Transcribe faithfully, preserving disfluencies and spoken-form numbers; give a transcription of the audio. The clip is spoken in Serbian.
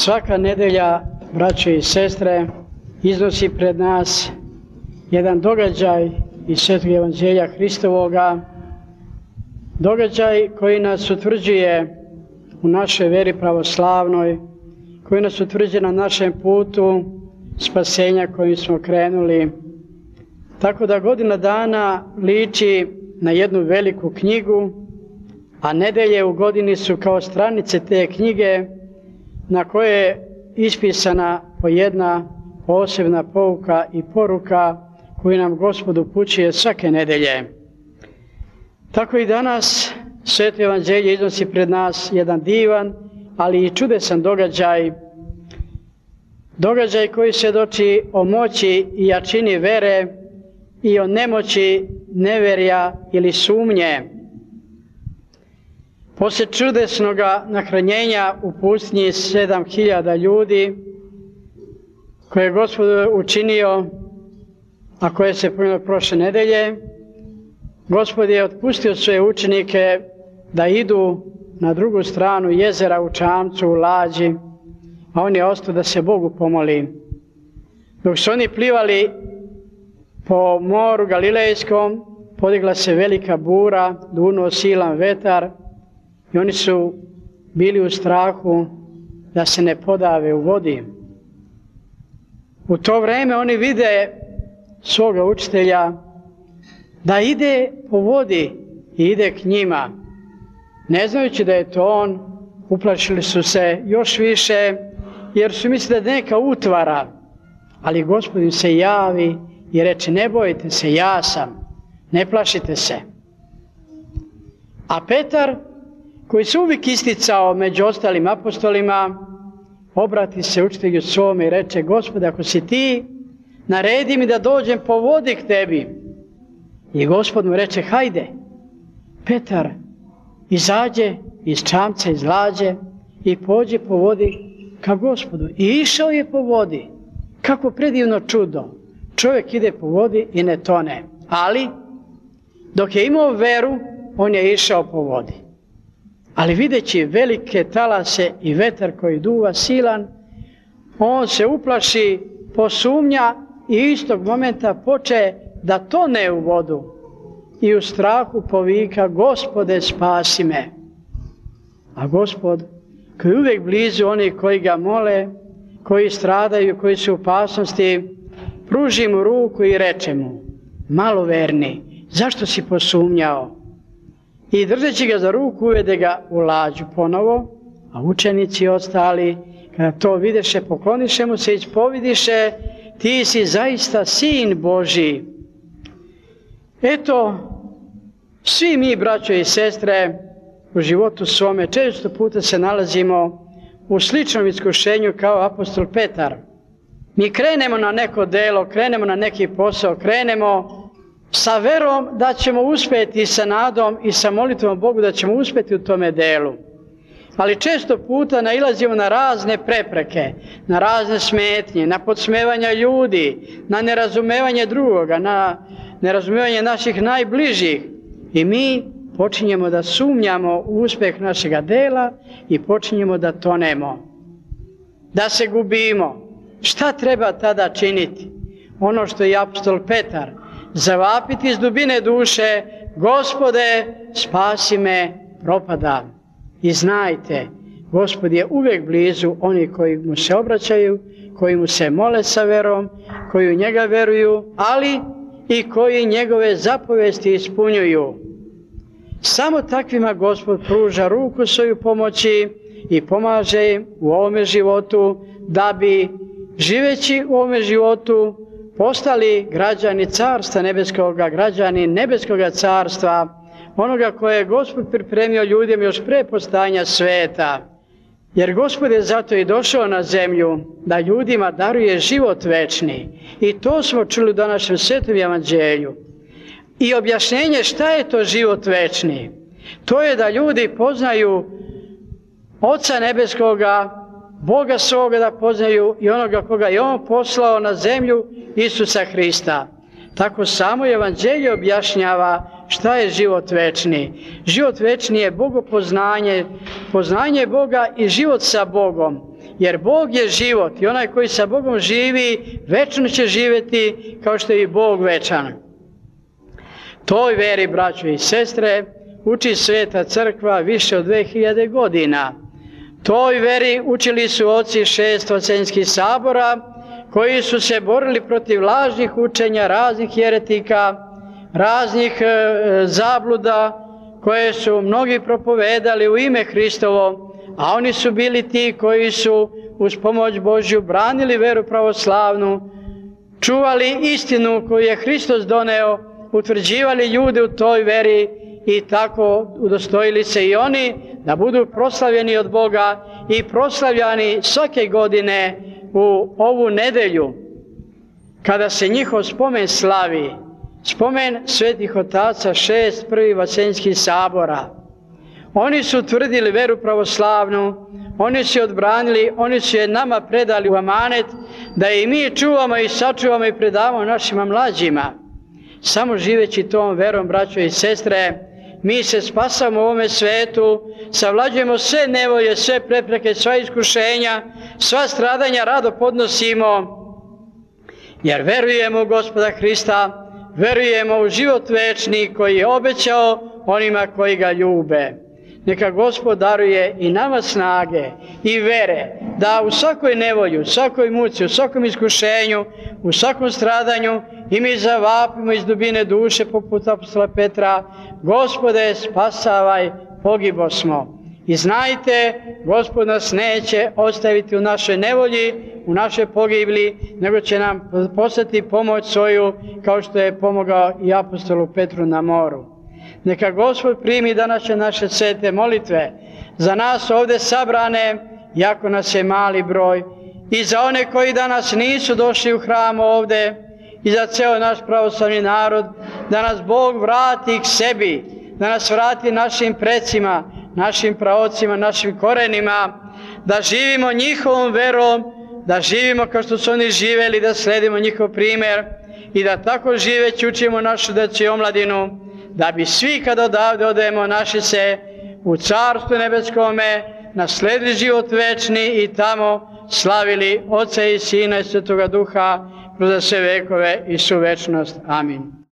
Svaka nedelja, braće i sestre, iznosi pred nas jedan događaj iz Svetog Evanđelja Hristovoga, događaj koji nas utvrđuje u našoj veri pravoslavnoj, koji nas utvrđuje na našem putu spasenja kojim smo krenuli. Tako da godina dana liči na jednu veliku knjigu, a nedelje u godini su kao stranice te knjige na koje je ispisana po jedna posebna pouka i poruka koju nam Gospod upućuje svake nedelje. Tako i danas Sveto Evanđelje iznosi pred nas jedan divan, ali i čudesan događaj, događaj koji svjedoči o moći i jačini vere i o nemoći neverja ili sumnje. Poslije čudesnoga nahranjenja u pustinji sedam hiljada ljudi, koje je Gospod učinio, a koje se pomenulo prošle nedelje, Gospod je otpustio svoje učenike da idu na drugu stranu jezera u čamcu, u lađi, a on je ostao da se Bogu pomoli. Dok su oni plivali po moru Galilejskom, podigla se velika bura, dunuo silan vetar i oni su bili u strahu da se ne podave u vodi. U to vrijeme oni vide svoga učitelja da ide po vodi i ide k njima. Ne znajući da je to on, uplašili su se još više, jer su mislili da je neka utvara, ali Gospod im se javi i reče: ne bojte se, ja sam, ne plašite se. A Petar, koji se uvijek isticao među ostalim apostolima, obrati se učitelju svome i reče: Gospode, ako si ti, naredi mi da dođem po vodi k tebi. I Gospod mu reče: hajde. Petar izađe iz čamca, iz lađe i pođe po vodi ka Gospodu. I išao je po vodi. Kako predivno čudo. Čovjek ide po vodi i ne tone. Ali, dok je imao veru, on je išao po vodi. Ali videći velike talase i vetar koji duva silan, on se uplaši, posumnja i istog momenta poče da tone u vodu i u strahu povika: Gospode, spasi me. A Gospod, koji je uvijek blizu onih koji ga mole, koji stradaju, koji su u opasnosti, pruži mu ruku i reče mu: maloverni, zašto si posumnjao? I držeći ga za ruku uvede ga u lađu ponovo, a učenici ostali, kada to videše, pokloniše mu se i ispovidiše: ti si zaista Sin Božji. Eto, svi mi, braćo i sestre, u životu svome često puta se nalazimo u sličnom iskušenju kao apostol Petar. Mi krenemo na neko delo, krenemo na neki posao, krenemo sa verom da ćemo uspjeti, sa nadom i sa molitvom Bogu da ćemo uspjeti u tome delu. Ali često puta nailazimo na razne prepreke, na razne smetnje, na podsmevanja ljudi, na nerazumevanje drugoga, na nerazumevanje naših najbližih. I mi počinjemo da sumnjamo u uspjeh našega dela i počinjemo da tonemo, da se gubimo. Šta treba tada činiti? Ono što je apostol Petar, zavapiti iz dubine duše: Gospode, spasi me, propadam. I znajte, Gospod je uvijek blizu onih koji mu se obraćaju, koji mu se mole sa verom, koji u njega veruju, ali i koji njegove zapovesti ispunjuju. Samo takvima Gospod pruža ruku svoju pomoći i pomaže im u ovome životu, da bi, živeći u ovome životu, postali građani Carstva Nebeskoga, građani Nebeskoga carstva, onoga koje je Gospod pripremio ljudima još pre postojanja sveta. Jer Gospod je zato i došao na zemlju da ljudima daruje život večni. I to smo čuli u današnjem Svetom Evanđelju. I objašnjenje šta je to život večni. To je da ljudi poznaju Oca Nebeskoga, Boga svoga da poznaju i onoga koga je On poslao na zemlju, Isusa Hrista. Tako samo Evanđelje objašnjava šta je život večni. Život večni je bogopoznanje, poznanje Boga i život sa Bogom. jer Bog je život i onaj koji sa Bogom živi, večno će živjeti kao što je i Bog večan. Toj veri, braćo i sestre, uči Sveta crkva više od dve hiljade godina. Toj veri učili su oci šest vasenskih sabora, koji su se borili protiv lažnih učenja, raznih jeretika, raznih e, zabluda, koje su mnogi propovedali u ime Hristovo, a oni su bili ti koji su uz pomoć Božju branili veru pravoslavnu, čuvali istinu koju je Hristos doneo, utvrđivali ljude u toj veri i tako udostojili se i oni da budu proslavljeni od Boga i proslavljani svake godine u ovu nedelju kada se njihov spomen slavi, spomen svetih otaca šest prvih vasenskih sabora. Oni su utvrdili veru pravoslavnu, oni su je odbranili, oni su je nama predali u amanet da i mi čuvamo i sačuvamo i predavamo našima mlađima. Samo živeći tom verom, braćo i sestre, mi se spasamo u ovome svetu, savlađujemo sve nevolje, sve prepreke, sva iskušenja, sva stradanja rado podnosimo, jer verujemo u Gospoda Hrista, verujemo u život večni koji je obećao onima koji ga ljube. Neka Gospod daruje i nama snage i vere da u svakoj nevolji, u svakoj muci, u svakom iskušenju, u svakom stradanju i mi zavapimo iz dubine duše poput apostola Petra: Gospode, spasavaj, pogibo smo. I znajte, Gospod nas neće ostaviti u našoj nevolji, u našoj pogibli, nego će nam poslati pomoć svoju, kao što je pomogao i apostolu Petru na moru. Neka Gospod primi današnje naše svete molitve za nas ovdje sabrane, jako nas je mali broj, i za one koji danas nisu došli u hram ovdje, i za ceo naš pravoslavni narod, da nas Bog vrati k sebi, da nas vrati našim precima, našim praocima, našim korenima, da živimo njihovom verom, da živimo kao što su oni živeli, da sledimo njihov primjer i da tako živeći učimo našu decu i omladinu, da bi svi kad odavde odemo našli se u Carstvu nebeskome, nasledili život večni i tamo slavili Oca i Sina i Svetoga Duha kroz sve vekove i svu večnost. Amin.